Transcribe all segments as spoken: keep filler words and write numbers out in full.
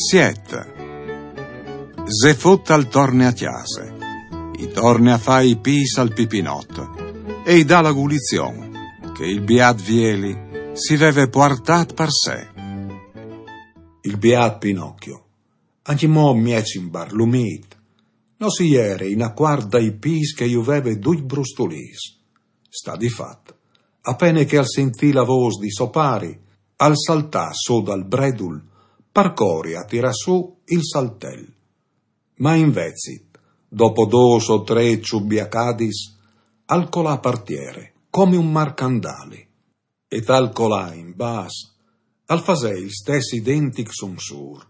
Siet. Zefut al torne a cjase. I torne a fâ i pîts al Pipinot e i dà la gulizion che il biât Vieli si veve puartât par se. Il biât Pinocchio, ancjemò mieç imbarlumît, no si jere inacuart dai pîts che ju veve ducj brustulîts. Sta di fat, a pene che al sintì la vôs di so pari, al saltà sù dal bredul par cori a tirâ sù il saltel. Ma invezit, dopo dôs o trê çubiacadis, al colà par tiere, come un marcandali. E tal colâ in bas, al fasè il stes identic sunsûr,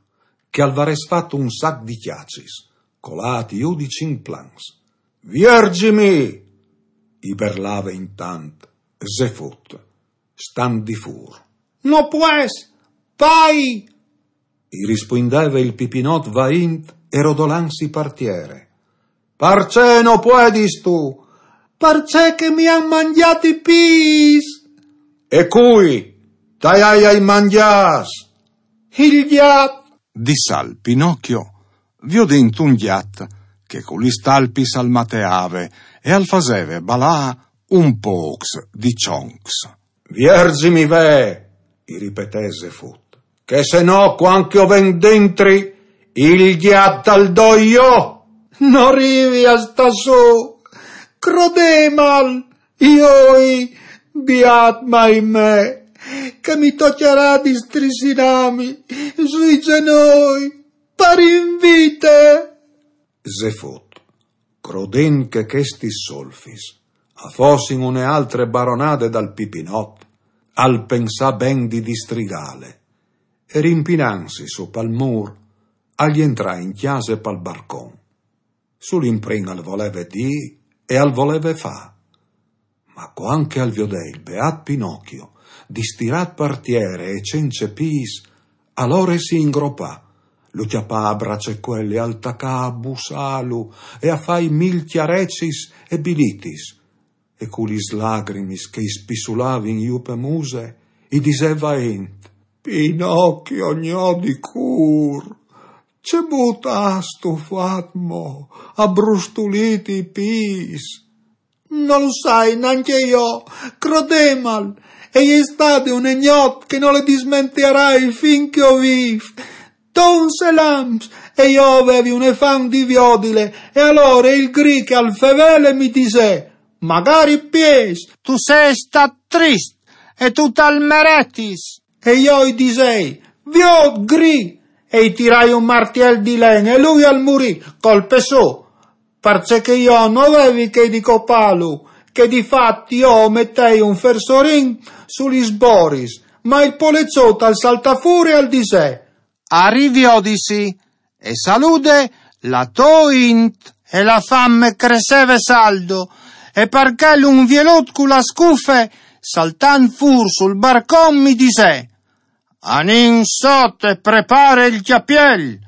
che al varès fat un sac di cjacis, colât jù di cinc plans. «Vierzimi!» i berlave intant Zefut, stant di fûr. «No pues, pai!» i rispuindeve il Pipinot vaint e rodolansi par tiere. «Parcè no puedistu?» «Parcè che mi àn mangjât i pîts!» «E cui t'aial mangjâts?» «Il gjat!» Dissal Pinocchio, viodint un gjat che cu lis talpis al mateave e al faseve balâ un pôcs di çoncs. «Vierzimi ve!» i ripetè Zefut, «che se no, cuant che o ven dentri, il gjat al doi jo!» «No rivi a stâ sù, crodemal, joi, biât mai me, che mi tocjarà di strissinâmi sui zenoi par invite!» Zefut, crodint che chestis solfis a fossin une altre baronade dal Pipinot, al pensà ben di distrigâle, e rimpinantsi sù pal mûr, al jentrà in cjase pal barcon. Sul imprin al voleve dî e al voleve fâ. Ma cuant che al viodè il beât Pinocchio, distirât par tiere e cence pîts, alore si ingropà, lu cjapà a bracecuel e al tacà a bussâlu e a fâi mil cjarecis e bilitis, e cu lis lagrimis che i spissulavin jù pe muse, i disè vaint: «Pinocchio gno di cûr, ce but âstu fat mo, abrustulît i pîts?» «No lu sai nancje jo, crodemal, e je stade une gnot che no le dismentiarai fin che o vîf. Dons e lamps, e jo o vevi une fam di viodile, e alore il gri che al fevele mi disè: magari piês, tu sês stât trist, e tu tal meretis.» E jo i disei: «Viôt, gri!» E i tirai un martiel di len e lui al murì, colpe sô, parcè che jo no vevi chê di copâlu, che di fat jo o metei un fersorin su lis boris, ma il poleçot al saltà fûr e al disè: «A riviodisi, e salude la tô int.» E la fam e cresseve saldo, e par chel un vielut cu la scufe, saltant fûr sul barcon, mi disè: «Anìn sot e prepare il cjapiel.»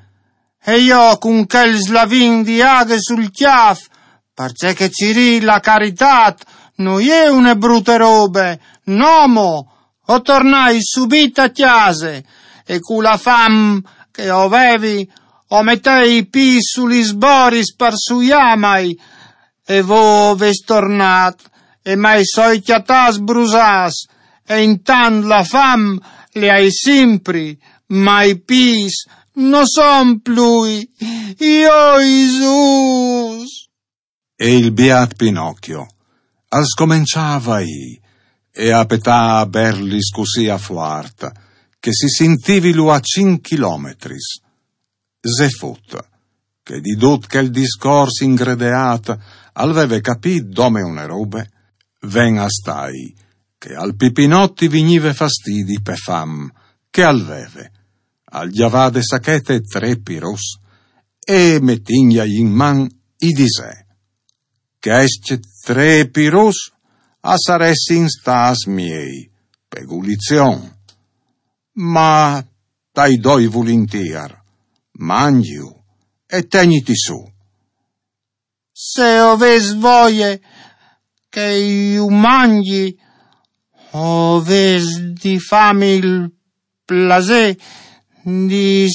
E jo cun chel slavin di aghe sul cjâf, parcè che cirî la caritât no je une brute robe, no mo, o tornai subit a cjase, e cu la fam che o vevi, o metei i pîts su lis boris par suiâmai, e vô o vês tornât, e mai soi cjatâts brusâts, e intant la fam le ai simpri, ma i pîts no son plui, joi Zus! E il biât Pinocchio al scomençà a vaî e a petâ a berlis cussì a fuart che si sintivilu a cinc chilometris. Zefut, che di dut chel discors ingredeât al veve capît dome une robe, ven a stâi che al Pipinot i vignive fastidi pe fam che al veve, al gjavà de sachete trê piruts e, metinjai in man, i disè: «Chescj trê piruts a saressin stâts miei, pe gulizion. Ma tai doi vulintîr, mangjiju e tegniti sù.» «Se o vês voie che ju mangji, o vês di fâmi il plasê di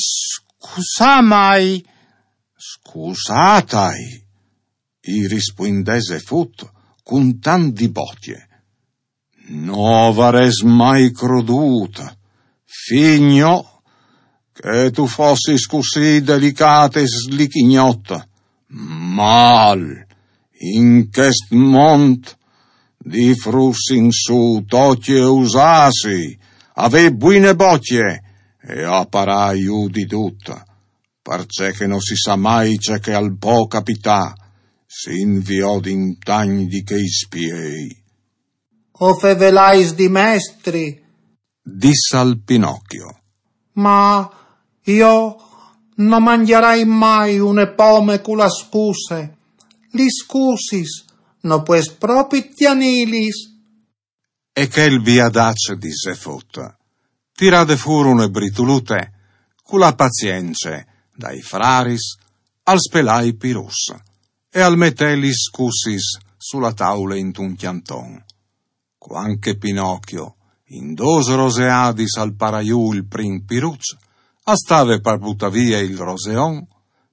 scusà mai. Scusà tai, i rispuindè Zefut cun tant di bocje. No varès mai crodut, fi gno, che tu fossis cussì delicat e slichignot. Mal, in chest mont, di fruts in su tocje usasi, avè buine bocje e aparà ju di dut, parcè che no si sa mai ce che al pò capità, si inviodin tagn di chei spiei. O fevelais di mestri, dissal Pinocchio. Ma jo no mangjarai mai une pome cu la scuse. Lis scusis no pues propit tienilis. E chel biadaç di Zefut, tirade fûr une britulute, cu la pazience dai fraris, al spelà i piruçs e al metè lis scusis su la taule intun cjanton. Cuant che Pinocchio, in dôs roseadis al parà ju il prin piruç, al stave par butâ vie il roseon,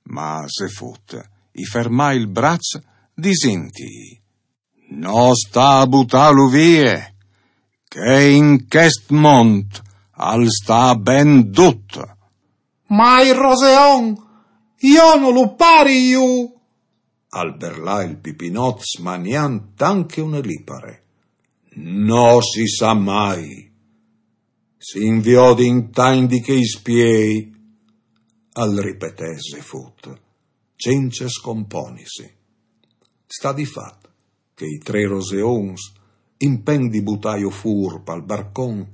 ma Zefut i fermà il braç disintij: No sta a butâlu vie, che in chest mont al sta ben dut. Ma il roseon, jo no lu pari ju! Al berlà il Pipinot smaniant tant che une lipare. No si sa mai. Si inviodin tagn di chei spiei, al ripetè Zefut, cence scomponisi. Sta di fat che i trê roseons, in pent di butâju fûr pal barcon,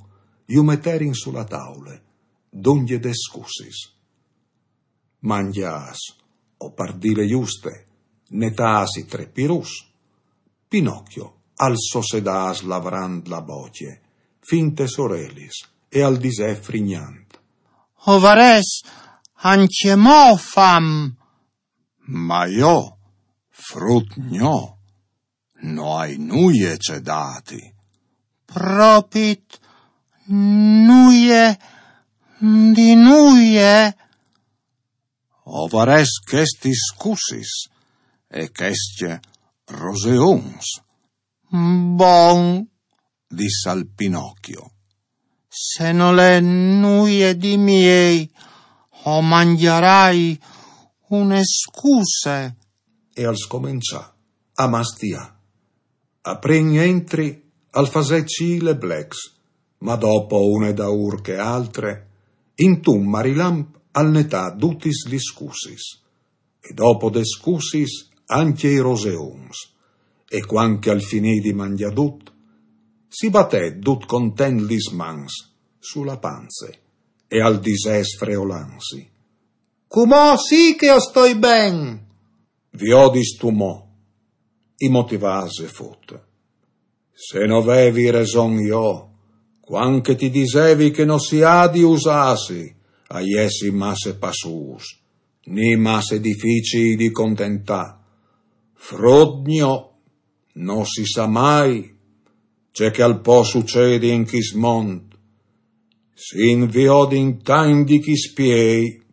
ju meterin su la taule, dongje des scusis. Mangjâts, o par dîle juste, netâts i trê piruçs, Pinocchio al sossedà slavrant la bocje, fin tes orelis, e al disè frignant: O varès ancjemò fam. Ma jo, frut gno, no ai nuie ce dâti. Propit nuie di nuie? O varès chestis scusis e chescj roseons. Bon, dissal Pinocchio. Se nol è nuie di miei, o mangjarai une scuse. E al scomençà a mastiâ. A prin entri al fasè cîl e blecs, ma dopo une daûr che altre, intun marilamp al netà dutis lis scusis, e dopo des scusis ancje i roseons, e cuant che al finì di mangjâ dut, si batè dut content lis mans su la panze e al disè sfreolansi: Cumò sì che o stoi ben! Viodistu mo, i motivà Zefut. Se no vevi reson jo, cuant che ti disevi che no si à di usâsi a jessi masse passûs, ni masse dificii di contentâ. Frut gno, no si sa mai ce che al pò sucedi in chist mont. Si inviodin tagn di chei spiei.